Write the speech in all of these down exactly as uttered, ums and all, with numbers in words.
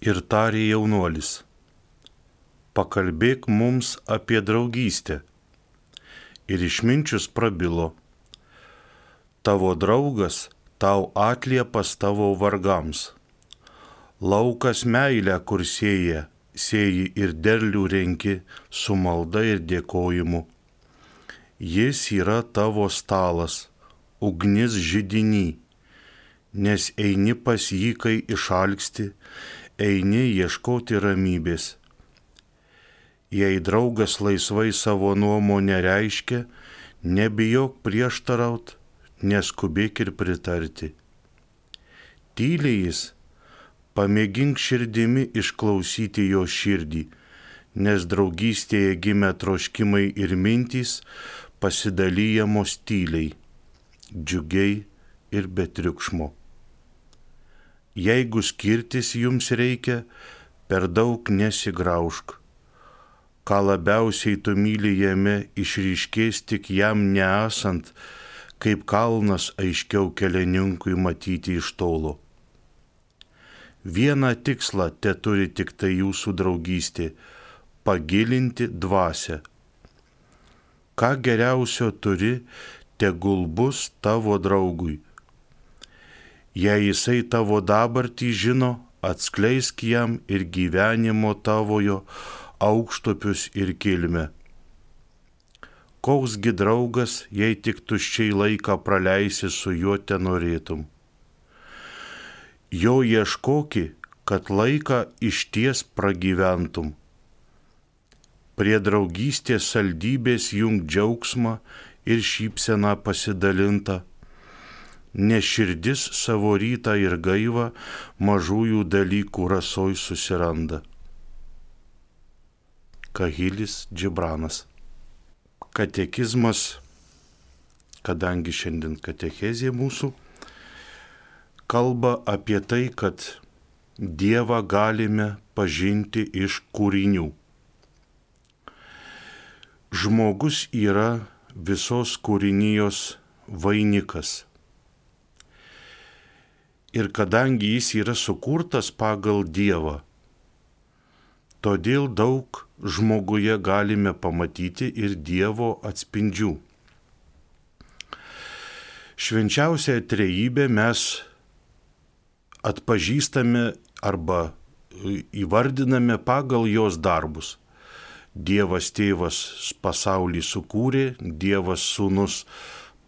Ir tarė jaunuolis: pakalbėk mums apie draugystę. Ir išminčius prabilo: tavo draugas tau atliepas tavo vargams. Laukas meilę, kur sėja, sėji ir derlių renki su malda ir dėkojimu. Jis yra tavo stalas, ugnis židiny, nes eini pas jį, kai išalksti, eini ieškoti ramybės. Jei draugas laisvai savo nuomonę reiškia, nebijok prieštaraut, neskubėk ir pritarti. Tyliai jis, pamėgink širdimi išklausyti jo širdį, nes draugystėje gimę troškimai ir mintys pasidalijamos tyliai, džiugiai ir be triukšmo. Jeigu skirtis jums reikia, per daug nesigraužk. Ką labiausiai tu myli jame, išryškės tik jam neesant, kaip kalnas aiškiau kelininkui matyti iš tolo. Vieną tikslą te turi tik tai jūsų draugystė – pagilinti dvasią. Ką geriausio turi, tegul bus tavo draugui. Jei jisai tavo dabartį žino, atskleisk jam ir gyvenimo tavojo aukštupius ir kilmę. Koksgi draugas, jei tik tuščiai laiką praleisi su juo tenorėtum. Jo ieškoki, kad laiką išties pragyventum. Prie draugystės saldybės jung džiaugsmą ir šypseną pasidalintą, nes širdis savo rytą ir gaivą mažųjų dalykų rasoj susiranda. Kahilis Džibranas. Katekizmas, kadangi šiandien katechezė mūsų, kalba apie tai, kad Dievą galime pažinti iš kūrinių. Žmogus yra visos kūrinijos vainikas. Ir kadangi jis yra sukurtas pagal Dievą, todėl daug žmoguje galime pamatyti ir Dievo atspindžių. Švenčiausią trejybę mes atpažįstame arba įvardiname pagal jos darbus. Dievas tėvas pasaulį sukūrė, Dievas sūnus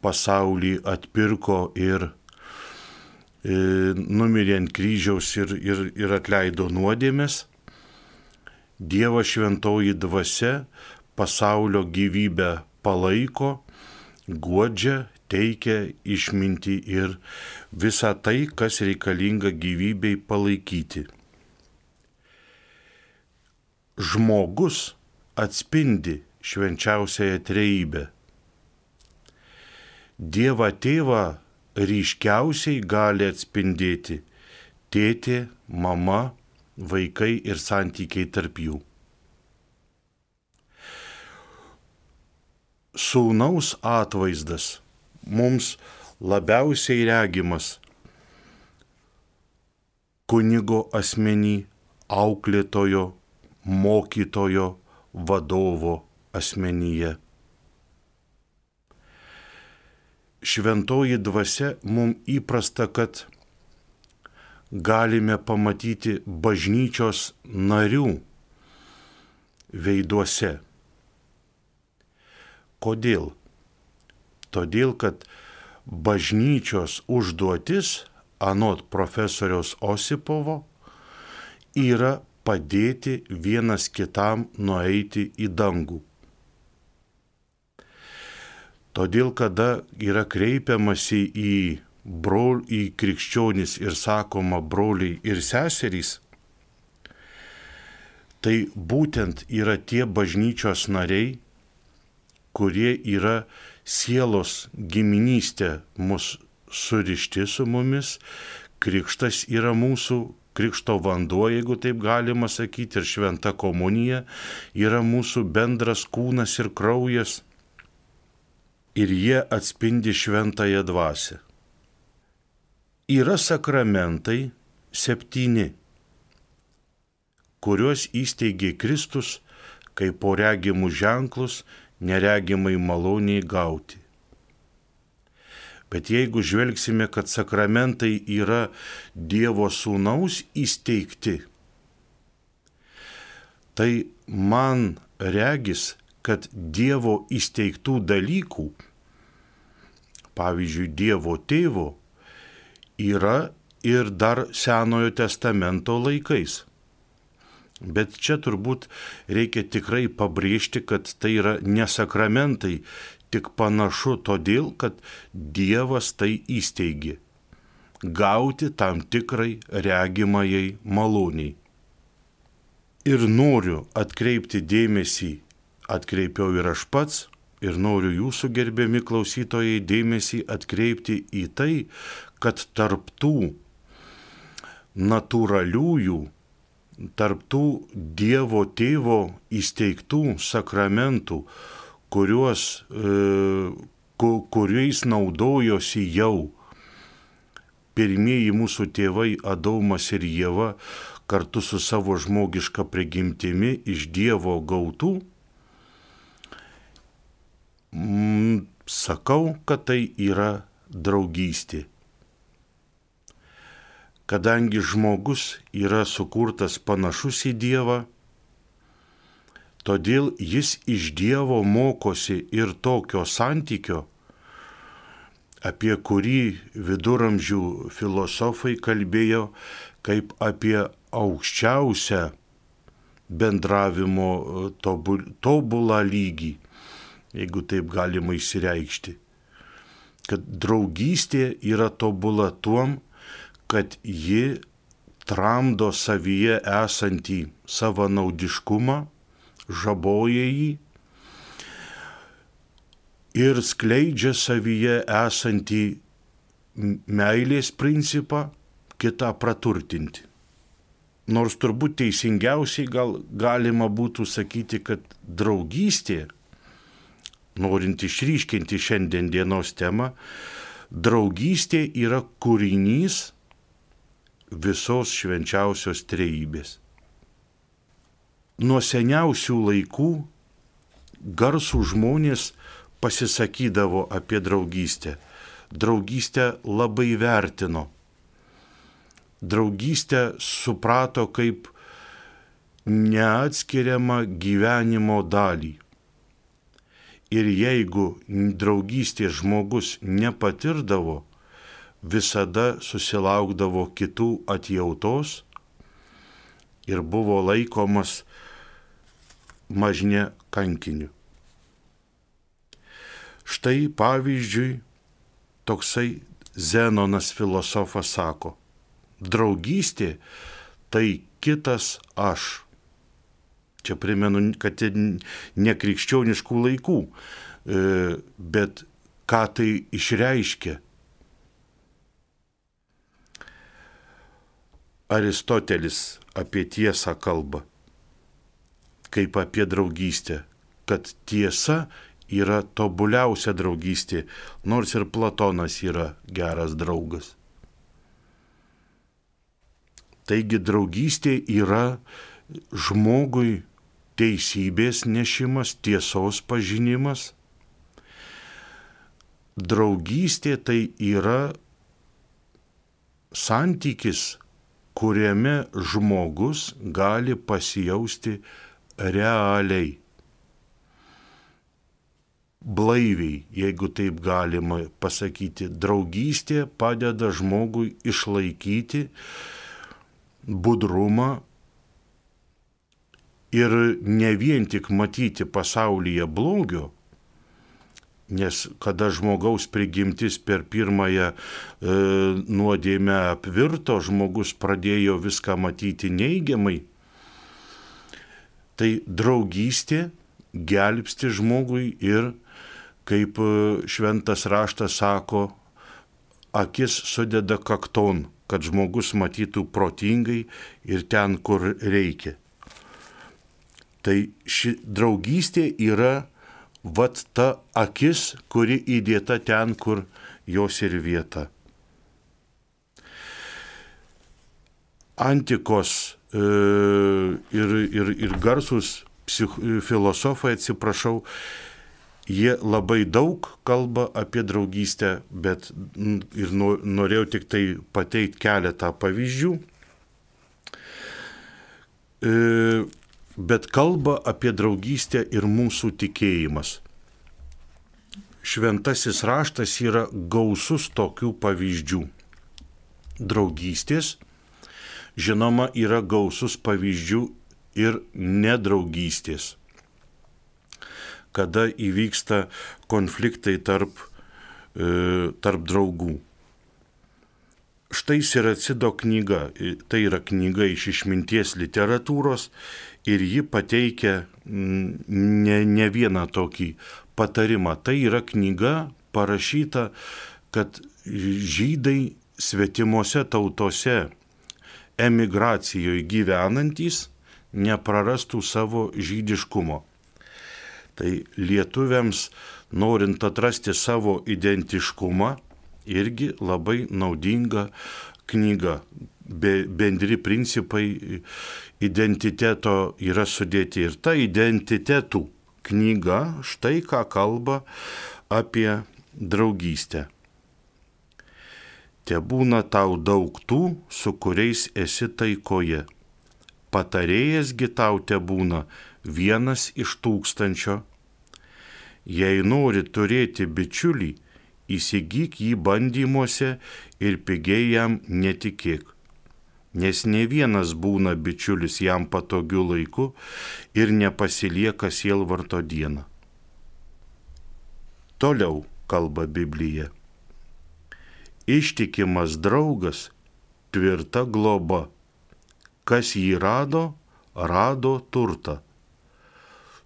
pasaulį atpirko ir e, numirė ant kryžiaus ir, ir, ir atleido nuodėmes. Dievas šventoji dvasia pasaulio gyvybę palaiko, guodžia, teikia išmintį ir visą tai, kas reikalinga gyvybei palaikyti. Žmogus atspindi švenčiausiąją trejybę. Dievą tėvą ryškiausiai gali atspindėti tėtė, mama, vaikai ir santykiai tarp jų. Sūnaus atvaizdas mums labiausiai regimas kunigo asmenį, auklėtojo, mokytojo, vadovo asmenyje. Šventoji dvasia mums įprasta, kad galime pamatyti bažnyčios narių veiduose. Kodėl? Todėl, kad bažnyčios užduotis, anot profesoriaus Osipovo, yra padėti vienas kitam nueiti į dangų. Todėl, kada yra kreipiamasi į brol, į krikščionis ir sakoma broliai ir seserys, tai būtent yra tie bažnyčios nariai, kurie yra sielos giminystė mus surišti su mumis. Krikštas yra mūsų, krikšto vanduo, jeigu taip galima sakyti, ir šventa komunija yra mūsų bendras kūnas ir kraujas. Ir jie atspindi šventąją dvasią. Yra sakramentai septyni. kuriuos įsteigė Kristus, kaip po regimus ženklus neregimai maloniai gauti. Bet jeigu žvelgsime, kad sakramentai yra Dievo Sūnaus įsteigti, tai man regis, kad Dievo įsteigtų dalykų, pavyzdžiui, Dievo Tėvo, yra ir dar Senojo testamento laikais. Bet čia turbūt reikia tikrai pabrėžti, kad tai yra ne sakramentai, tik panašu todėl, kad Dievas tai įsteigė. Gauti tam tikrai regimajai maloniai. Ir noriu atkreipti dėmesį, atkreipiau ir aš pats, ir noriu jūsų gerbiami klausytojai dėmesį atkreipti į tai, kad tarptų natūraliųjų, tarptų Dievo Tėvo įsteigtų sakramentų, kuriuos, e, kuriais naudojosi jau pirmieji mūsų tėvai Adomas ir Ieva kartu su savo žmogiška prigimtimi iš Dievo gautų, mm, sakau, kad tai yra draugystė. Kadangi žmogus yra sukurtas panašus į Dievą, todėl jis iš Dievo mokosi ir tokio santykio, apie kurį viduramžių filosofai kalbėjo kaip apie aukščiausią bendravimo tobulą lygį, jeigu taip galima išsireikšti. Kad draugystė yra tobula tuom, kad ji tramdo savyje esantį savanaudiškumą, žaboja jį ir skleidžia savyje esantį meilės principą kitą praturtinti. Nors turbūt teisingiausiai gal galima būtų sakyti, kad draugystė, norint išryškinti šiandien dienos temą, draugystė yra kūrinys visos švenčiausios trejybės. Nuo seniausių laikų garsų žmonės pasisakydavo apie draugystę. Draugystę labai vertino. Draugystę suprato kaip neatskiriamą gyvenimo dalį. Ir jeigu draugystės žmogus nepatirdavo, visada susilaukdavo kitų atjautos ir buvo laikomas mažne kankiniu. Štai pavyzdžiui, toksai Zenonas filosofas sako, draugystė tai kitas aš. Čia primenu, kad ne krikščioniškų laikų, bet ką tai išreiškia. Aristotelis apie tiesą kalba, kaip apie draugystę, kad tiesa yra tobuliausia draugystė, nors ir Platonas yra geras draugas. Taigi draugystė yra žmogui teisybės nešimas, tiesos pažinimas. Draugystė tai yra santykis, kuriame žmogus gali pasijausti realiai, blaiviai, jeigu taip galima pasakyti. Draugystė padeda žmogui išlaikyti budrumą ir ne vien tik matyti pasaulyje blogio, nes kada žmogaus prigimtis per pirmąją e, nuodėmę apvirto, žmogus pradėjo viską matyti neigiamai, tai draugystė gelbsti žmogui ir, kaip šventas raštas sako, akis sudeda kakton, kad žmogus matytų protingai ir ten, kur reikia. Tai ši draugystė yra vat ta akis, kuri įdėta ten, kur jos ir vieta. Antikos ir, ir, ir garsus psich, filosofai, atsiprašau, jie labai daug kalba apie draugystę, bet ir norėjau tik tai pateikti keletą pavyzdžių. Bet kalba apie draugystę ir mūsų tikėjimas. Šventasis raštas yra gausus tokių pavyzdžių. Draugystės, žinoma, yra gausus pavyzdžių ir nedraugystės, kada įvyksta konfliktai tarp, e, tarp draugų. Štai Siracido knyga, tai yra knyga iš išminties literatūros ir ji pateikia ne, ne vieną tokį patarimą. Tai yra knyga parašyta, kad žydai svetimose tautose emigracijoje gyvenantys neprarastų savo žydiškumo. Tai lietuviams, norint atrasti savo identiškumą, irgi labai naudinga knyga. Be, bendri principai identiteto yra sudėti. Ir ta identitetų knyga štai ką kalba apie draugystę. Tebūna tau daug tų, su kuriais esi taikoje. Patarėjas gi tau tebūna vienas iš tūkstančio. Jei nori turėti bičiulį, įsigyk jį bandymuose ir pigiai jam netikėk, nes ne vienas būna bičiulis jam patogiu laiku ir nepasilieka sielvarto dieną. Toliau kalba Biblija. Ištikimas draugas, tvirta globa, kas jį rado, rado turtą.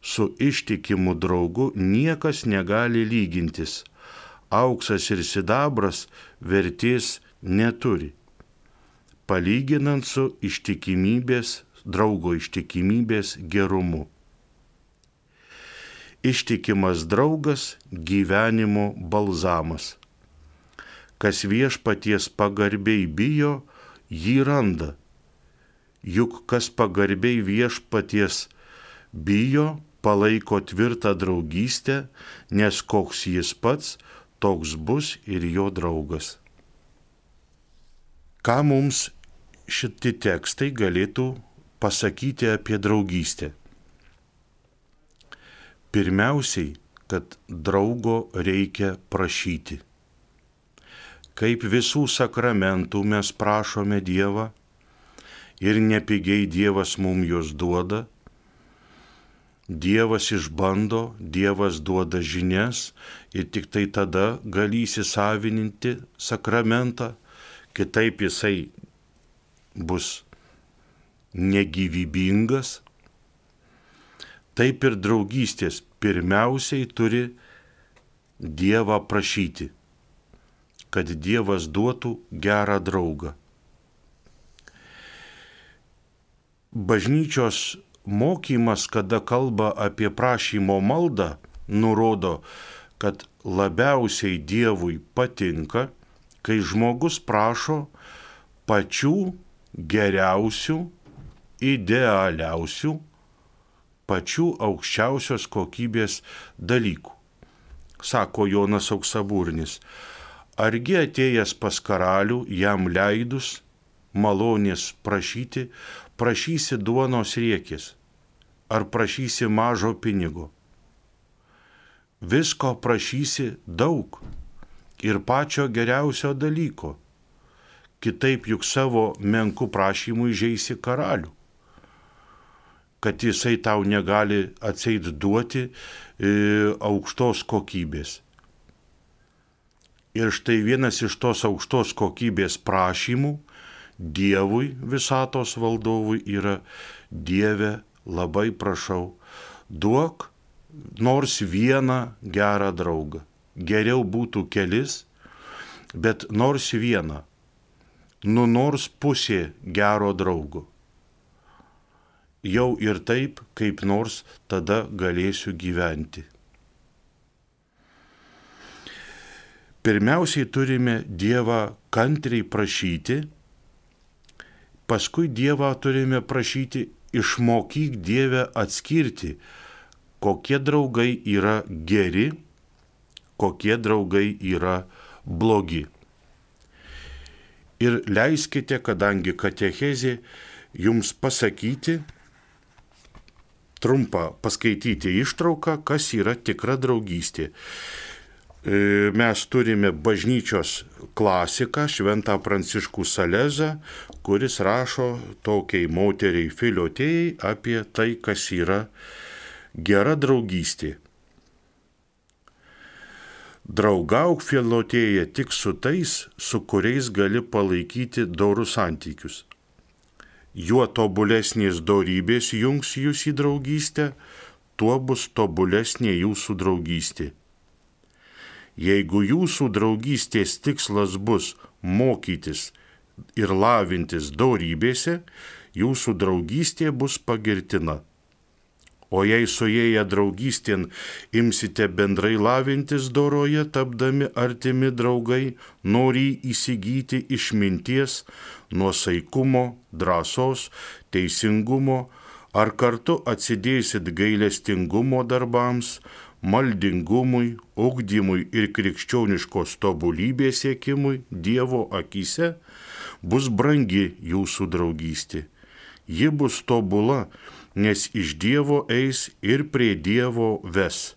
Su ištikimu draugu niekas negali lygintis. Auksas ir sidabras vertės neturi, palyginant su ištikimybės, draugo ištikimybės gerumu. Ištikimas draugas gyvenimo balzamas. Kas viešpaties pagarbiai bijo, jį randa. Juk kas pagarbiai viešpaties bijo, palaiko tvirtą draugystę, nes koks jis pats, toks bus ir jo draugas. Ką mums šitie tekstai galėtų pasakyti apie draugystę? Pirmiausiai, kad draugo reikia prašyti. Kaip visų sakramentų mes prašome Dievą ir nepigiai Dievas mums juos duoda. Dievas išbando, Dievas duoda žinias ir tik tai tada gali įsisavininti sakramentą, kitaip jisai bus negyvybingas. Taip ir draugystės pirmiausiai turi Dievą prašyti, kad Dievas duotų gerą draugą. Bažnyčios mokymas, kada kalba apie prašymo maldą, nurodo, kad labiausiai Dievui patinka, kai žmogus prašo pačių geriausių, idealiausių, pačių aukščiausios kokybės dalykų. Sako Jonas Auksaburnis, argi atėjęs pas karalių, jam leidus malonės prašyti, prašysi duonos riekės, ar prašysi mažo pinigo. Visko prašysi daug ir pačio geriausio dalyko. Kitaip juk savo menku prašymu įžeisi karalių, kad jisai tau negali atseit duoti e, aukštos kokybės. Ir štai vienas iš tos aukštos kokybės prašymų Dievui, visatos valdovui yra: Dieve, labai prašau, duok nors vieną gerą draugą. Geriau būtų kelis, bet nors vieną, nu nors pusė gero draugo. Jau ir taip, kaip nors tada galėsiu gyventi. Pirmiausiai turime Dievą kantriai prašyti, paskui Dievą turime prašyti, išmokyk Dievę atskirti, kokie draugai yra geri, kokie draugai yra blogi. Ir leiskite, kadangi katechezė, jums pasakyti, trumpą paskaityti ištrauką, kas yra tikra draugystė. Mes turime bažnyčios klasiką, šventą Pranciškų Salezą, kuris rašo tokiai moteriai Filiotėjai apie tai, kas yra gera draugystė. Draugauk, Filotėja, tik su tais, su kuriais gali palaikyti dorus santykius. Juo tobulesnės dorybės jungs jūs į draugystę, tuo bus tobulesnė jūsų draugystė. Jeigu jūsų draugystės tikslas bus mokytis ir lavintis dorybėse, jūsų draugystė bus pagirtina. O jei suėję draugystėn imsite bendrai lavintis doroje, tapdami artimi draugai, norį įsigyti išminties, nuosaikumo, drąsos, teisingumo, ar kartu atsidėsit gailestingumo darbams, maldingumui, ugdymui ir krikščioniškos tobulybės siekimui Dievo akyse, bus brangi jūsų draugystė. Ji bus tobula, nes iš Dievo eis ir prie Dievo ves.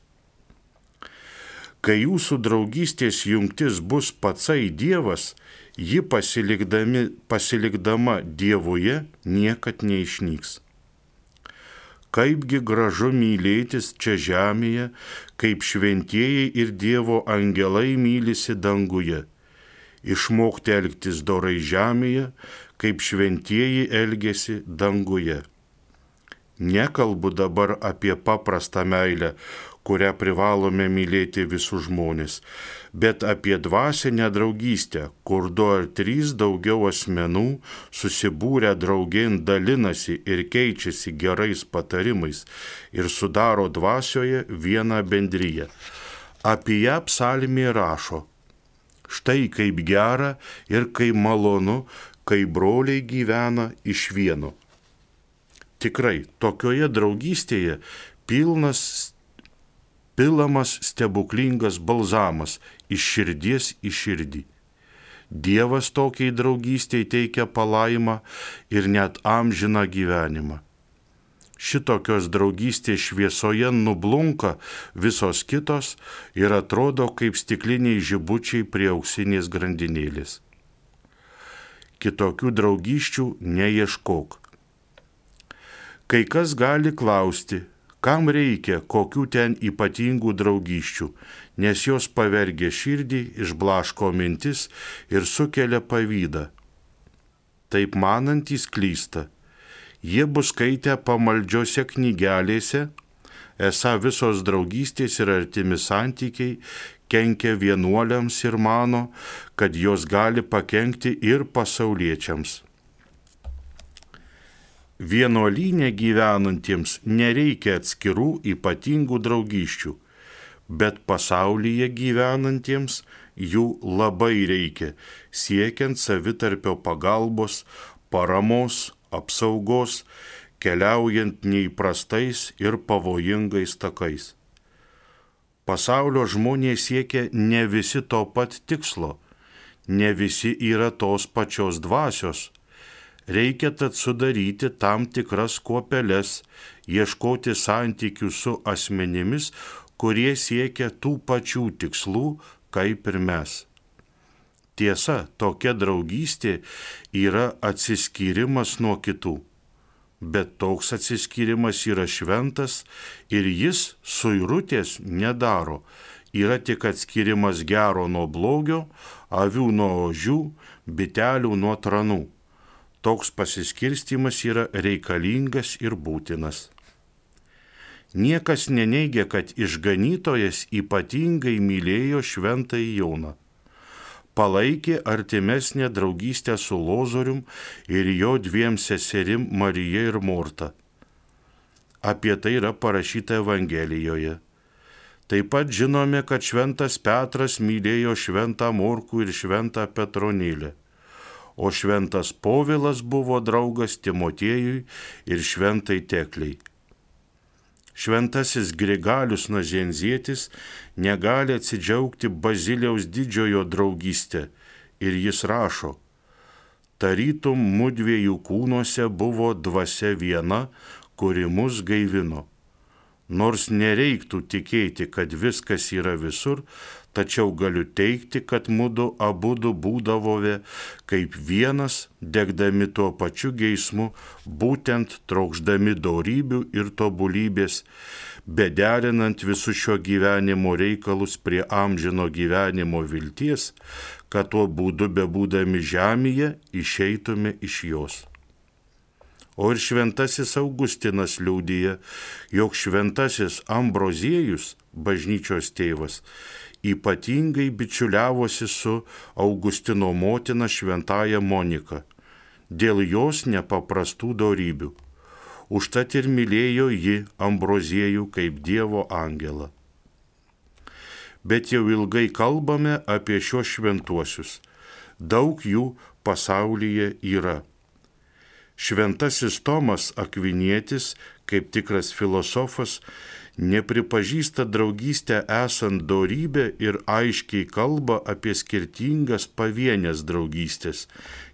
Kai jūsų draugystės jungtis bus patsai Dievas, ji pasilikdama Dievuje niekad neišnyks. Kaipgi gražu mylėtis čia žemėje, kaip šventieji ir Dievo angelai mylisi danguje. Išmokti elgtis dorai žemėje, kaip šventieji elgesi danguje. Nekalbu dabar apie paprastą meilę, kurią privalome mylėti visus žmonės, bet apie dvasinę draugystę, kur du ar trys daugiau asmenų susibūrę draugėn dalinasi ir keičiasi gerais patarimais ir sudaro dvasioje vieną bendriją. Apie ją psalmė rašo: štai kaip gera ir kaip malonu, kai broliai gyvena iš vieno. Tikrai, tokioje draugystėje pilnas, pilamas stebuklingas balzamas iš širdies į širdį. Dievas tokiai draugystei teikia palaimą ir net amžiną gyvenimą. Šitokios draugystės šviesoje nublunka visos kitos ir atrodo kaip stikliniai žibučiai prie auksinės grandinėlės. Kitokių draugysčių neieškok. Kai kas gali klausti, kam reikia kokių ten ypatingų draugysčių, nes jos pavergia širdį, išblaško mintis ir sukelia pavydą. Taip manantys klysta. Jie bus skaitę pamaldžiose knygelėse, esą visos draugystės ir artimi santykiai kenkia vienuoliams ir mano, kad jos gali pakenkti ir pasauliečiams. Vienuolyne gyvenantiems nereikia atskirų ypatingų draugysčių, bet pasaulyje gyvenantiems jų labai reikia, siekiant savitarpio pagalbos, paramos, apsaugos, keliaujant neįprastais ir pavojingais takais. Pasaulio žmonės siekia ne visi to pat tikslo, ne visi yra tos pačios dvasios. Reikia tad sudaryti tam tikras kuopeles, ieškoti santykių su asmenimis, kurie siekia tų pačių tikslų, kaip ir mes. Tiesa, tokia draugystė yra atsiskyrimas nuo kitų, bet toks atsiskyrimas yra šventas ir jis suirutės nedaro, yra tik atskirimas gero nuo blogio, avių nuo ožių, bitelių nuo tranų. Toks pasiskirstimas yra reikalingas ir būtinas. Niekas neneigia, kad išganytojas ypatingai mylėjo šventąjį Joną. Palaikė artimesnę draugystę su Lozorium ir jo dviem seserim Marija ir Morta. Apie tai yra parašyta Evangelijoje. Taip pat žinome, kad šventas Petras mylėjo šventą Morkų ir šventą Petronėlę. o šventas Povilas buvo draugas Timotiejui ir šventai Tekliai. Šventasis Grigalius Nazianzietis negali atsidžiaugti Baziliaus didžiojo draugystę ir jis rašo: tarytum mudviejų kūnuose buvo dvasia viena, kuri mus gaivino. Nors nereiktų tikėti, kad viskas yra visur, tačiau galiu teikti, kad mudu abudu būdavome kaip vienas, degdami tuo pačiu geismu, būtent trokšdami dorybių ir tobulybės, bederinant visus šio gyvenimo reikalus prie amžino gyvenimo vilties, kad tuo būdu bebūdami žemėje išeitume iš jos. O ir šventasis Augustinas liudija, jog šventasis Ambroziejus, bažnyčios tėvas, ypatingai bičiuliavosi su Augustino motina šventaja Monika, dėl jos nepaprastų dorybių. Užtat ir mylėjo ji Ambroziejų kaip Dievo angelą. Bet jau ilgai kalbame apie šios šventuosius. Daug jų pasaulyje yra. Šventasis Tomas Akvinietis, kaip tikras filosofas, nepripažįsta draugystę esant dorybę ir aiškiai kalba apie skirtingas pavienės draugystės,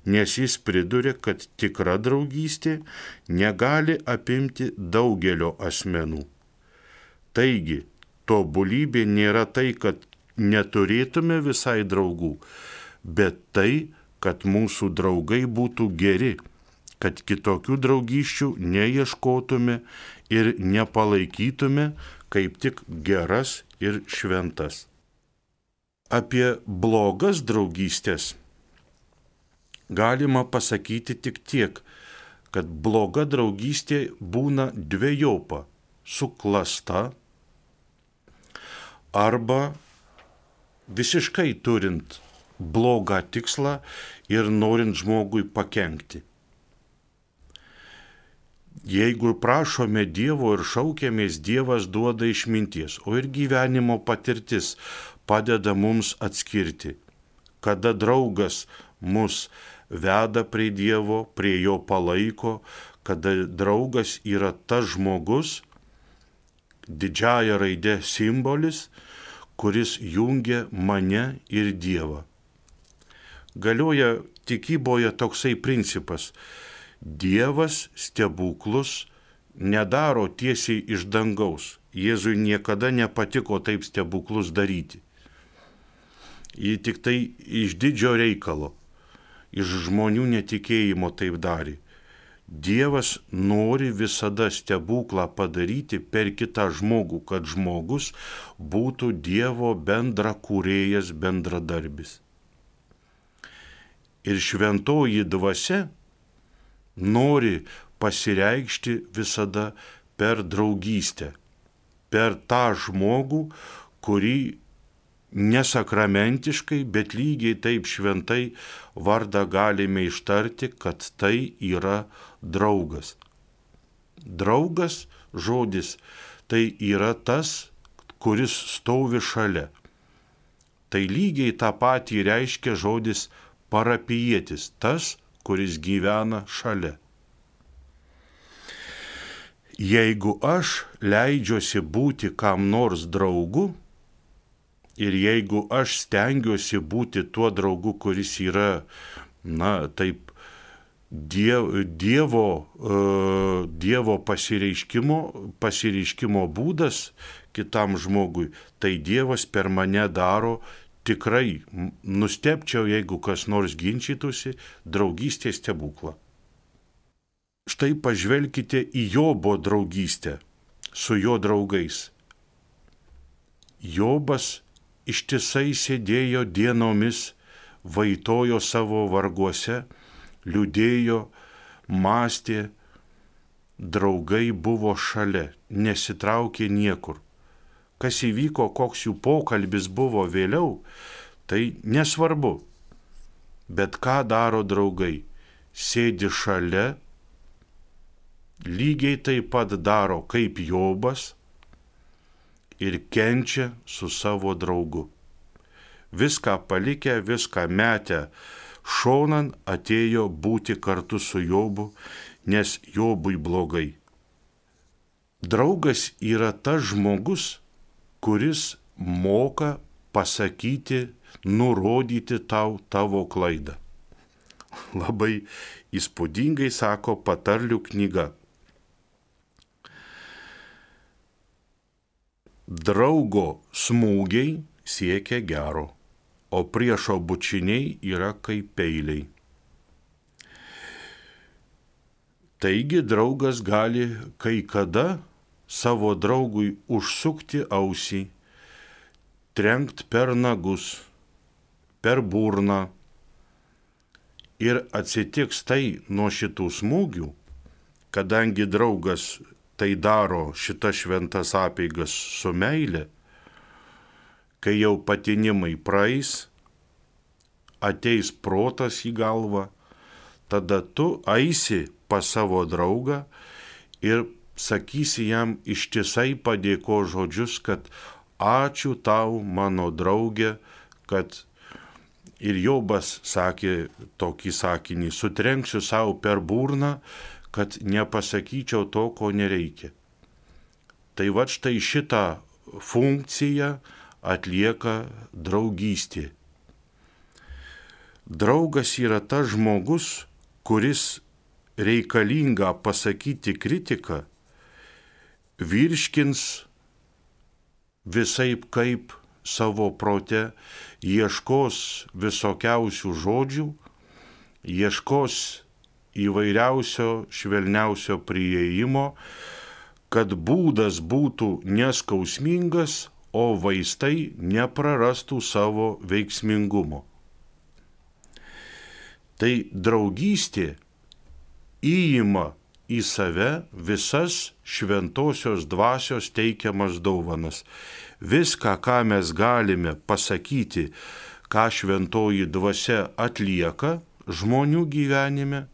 nes jis priduria, kad tikra draugystė negali apimti daugelio asmenų. Taigi, tobulybė nėra tai, kad neturėtume visai draugų, bet tai, kad mūsų draugai būtų geri, kad kitokių draugysčių neieškotume ir nepalaikytume kaip tik geras ir šventas. Apie blogas draugystės galima pasakyti tik tiek, kad bloga draugystė būna dvejopa, suklasta arba visiškai turint blogą tikslą ir norint žmogui pakenkti. Jeigu prašome Dievo ir šaukiamės, Dievas duoda išminties, o ir gyvenimo patirtis padeda mums atskirti, kada draugas mus veda prie Dievo, prie jo palaiko, kada draugas yra tas žmogus, didžiąja raide simbolis, kuris jungia mane ir Dievą. Galioja tikyboje toksai principas: Dievas stebuklus nedaro tiesiai iš dangaus. Jėzui niekada nepatiko taip stebuklus daryti. Jį tik tai iš didžio reikalo, iš žmonių netikėjimo taip darė. Dievas nori visada stebuklą padaryti per kitą žmogų, kad žmogus būtų Dievo bendra kūrėjas, bendradarbis. Ir šventoji dvasia nori pasireikšti visada per draugystę, per tą žmogų, kurį nesakramentiškai, bet lygiai taip šventai vardą galime ištarti, kad tai yra draugas. Draugas žodis tai yra tas, kuris stovi šalia. Tai lygiai tą patį reiškia žodis parapijietis, tas, kuris gyvena šalia. Jeigu aš leidžiuosi būti kam nors draugu ir jeigu aš stengiuosi būti tuo draugu, kuris yra, na, taip, dievo, dievo, uh, dievo pasireiškimo, pasireiškimo būdas kitam žmogui, tai Dievas per mane daro tikrai, nustebčiau, jeigu kas nors ginčytųsi, draugystės stebuklą. Štai pažvelkite į Jobo draugystę su jo draugais. Jobas ištisai sėdėjo dienomis, vaitojo savo varguose, liūdėjo, mąstė, draugai buvo šalia, nesitraukė niekur. Kas įvyko, koks jų pokalbis buvo vėliau, tai nesvarbu. Bet ką daro draugai? Sėdi šalia, lygiai taip pat daro kaip Jobas ir kenčia su savo draugu. Viską palikę, viską metę šonan atėjo būti kartu su Jobu, nes Jobui blogai. Draugas yra tas žmogus, kuris moka pasakyti, nurodyti tau tavo klaidą. Labai įspūdingai sako patarlių knyga. Draugo smūgiai siekia gero, o priešo bučiniai yra kaip peiliai. Taigi draugas gali kai kada savo draugui užsukti ausį, trenkt per nagus, per burną. Ir atsitiks tai nuo šitų smūgių, kadangi draugas tai daro šitas šventas apeigas su meile, kai jau patinimai praeis, ateis protas į galvą, tada tu eisi pas savo draugą ir sakysi jam ištisai padėko žodžius, kad ačiū tau, mano draugė, kad ir Jobas sakė tokį sakinį, sutrenksiu savo per burną, kad nepasakyčiau to, ko nereikia. Tai va štai šitą funkciją atlieka draugystė. Draugas yra tas žmogus, kuris reikalinga pasakyti kritiką, virškins visaip kaip savo prote, ieškos visokiausių žodžių, ieškos įvairiausio švelniausio priėjimo, kad būdas būtų neskausmingas, o vaistai neprarastų savo veiksmingumo. Tai draugystė įima į save visas šventosios dvasios teikiamas dovanas. Viską, ką mes galime pasakyti, ką šventoji dvasia atlieka žmonių gyvenime,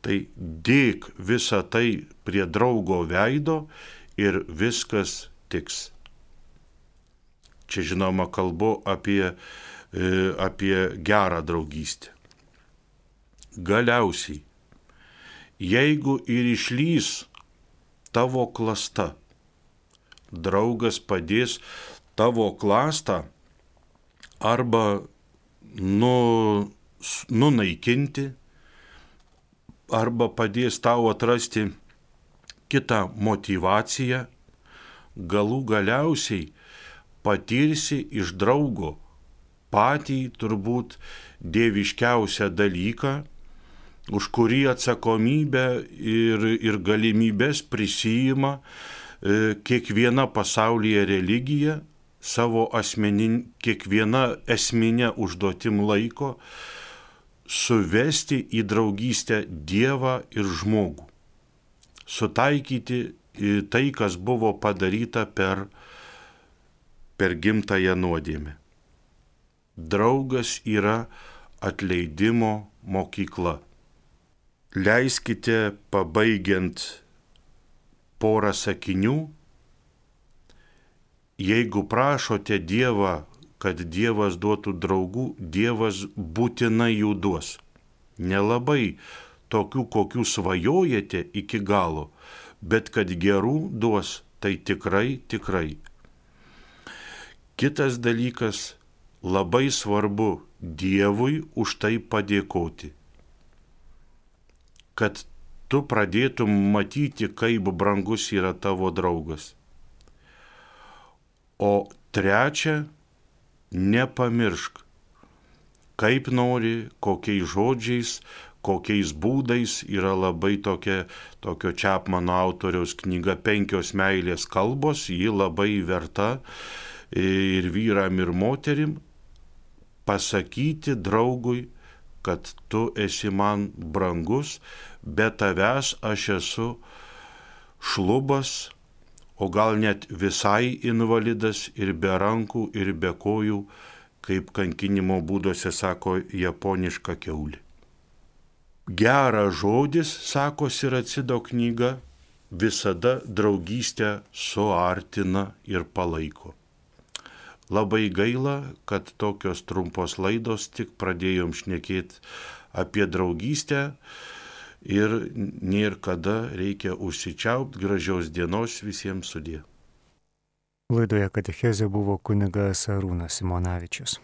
tai dėk visą tai prie draugo veido ir viskas tiks. Čia žinoma kalbu apie, apie gerą draugystę. Galiausiai, jeigu ir išlys tavo klasta, draugas padės tavo klastą arba nu, nunaikinti, arba padės tau atrasti kitą motyvaciją, galų galiausiai patirsi iš draugo patį turbūt dieviškiausią dalyką, už kurį atsakomybę ir, ir galimybės prisijima e, kiekviena pasaulyje religija, savo asmenin, kiekviena esminė užduotim laiko, suvesti į draugystę Dievą ir žmogų, sutaikyti tai, kas buvo padaryta per, per gimtąją nuodėmę. Draugas yra atleidimo mokykla. Leiskite, pabaigiant porą sakinių, jeigu prašote Dievą, kad Dievas duotų draugų, Dievas būtinai jų duos. Nelabai tokių, kokių svajojate iki galo, bet kad gerų duos, tai tikrai, tikrai. Kitas dalykas, labai svarbu Dievui už tai padėkoti, kad tu pradėtum matyti, kaip brangus yra tavo draugas. O trečia, nepamiršk, kaip nori, kokiais žodžiais, kokiais būdais, yra labai tokia, tokio Čapmano autoriaus knyga Penkios meilės kalbos, ji labai verta ir vyram, ir moterim, pasakyti draugui, kad tu esi man brangus, be tavęs aš esu šlubas, o gal net visai invalidas ir be rankų, ir be kojų, kaip kankinimo būduose sako japoniška kiaulė. Geras žodis, sako Siracido knyga, visada draugystę suartina ir palaiko. Labai gaila, kad tokios trumpos laidos tik pradėjom šnekėti apie draugystę ir nėr kada reikia užsičiaupt. Gražios dienos visiems, sudie. Laidoje katechezė buvo kunigas Arūnas Simonavičius.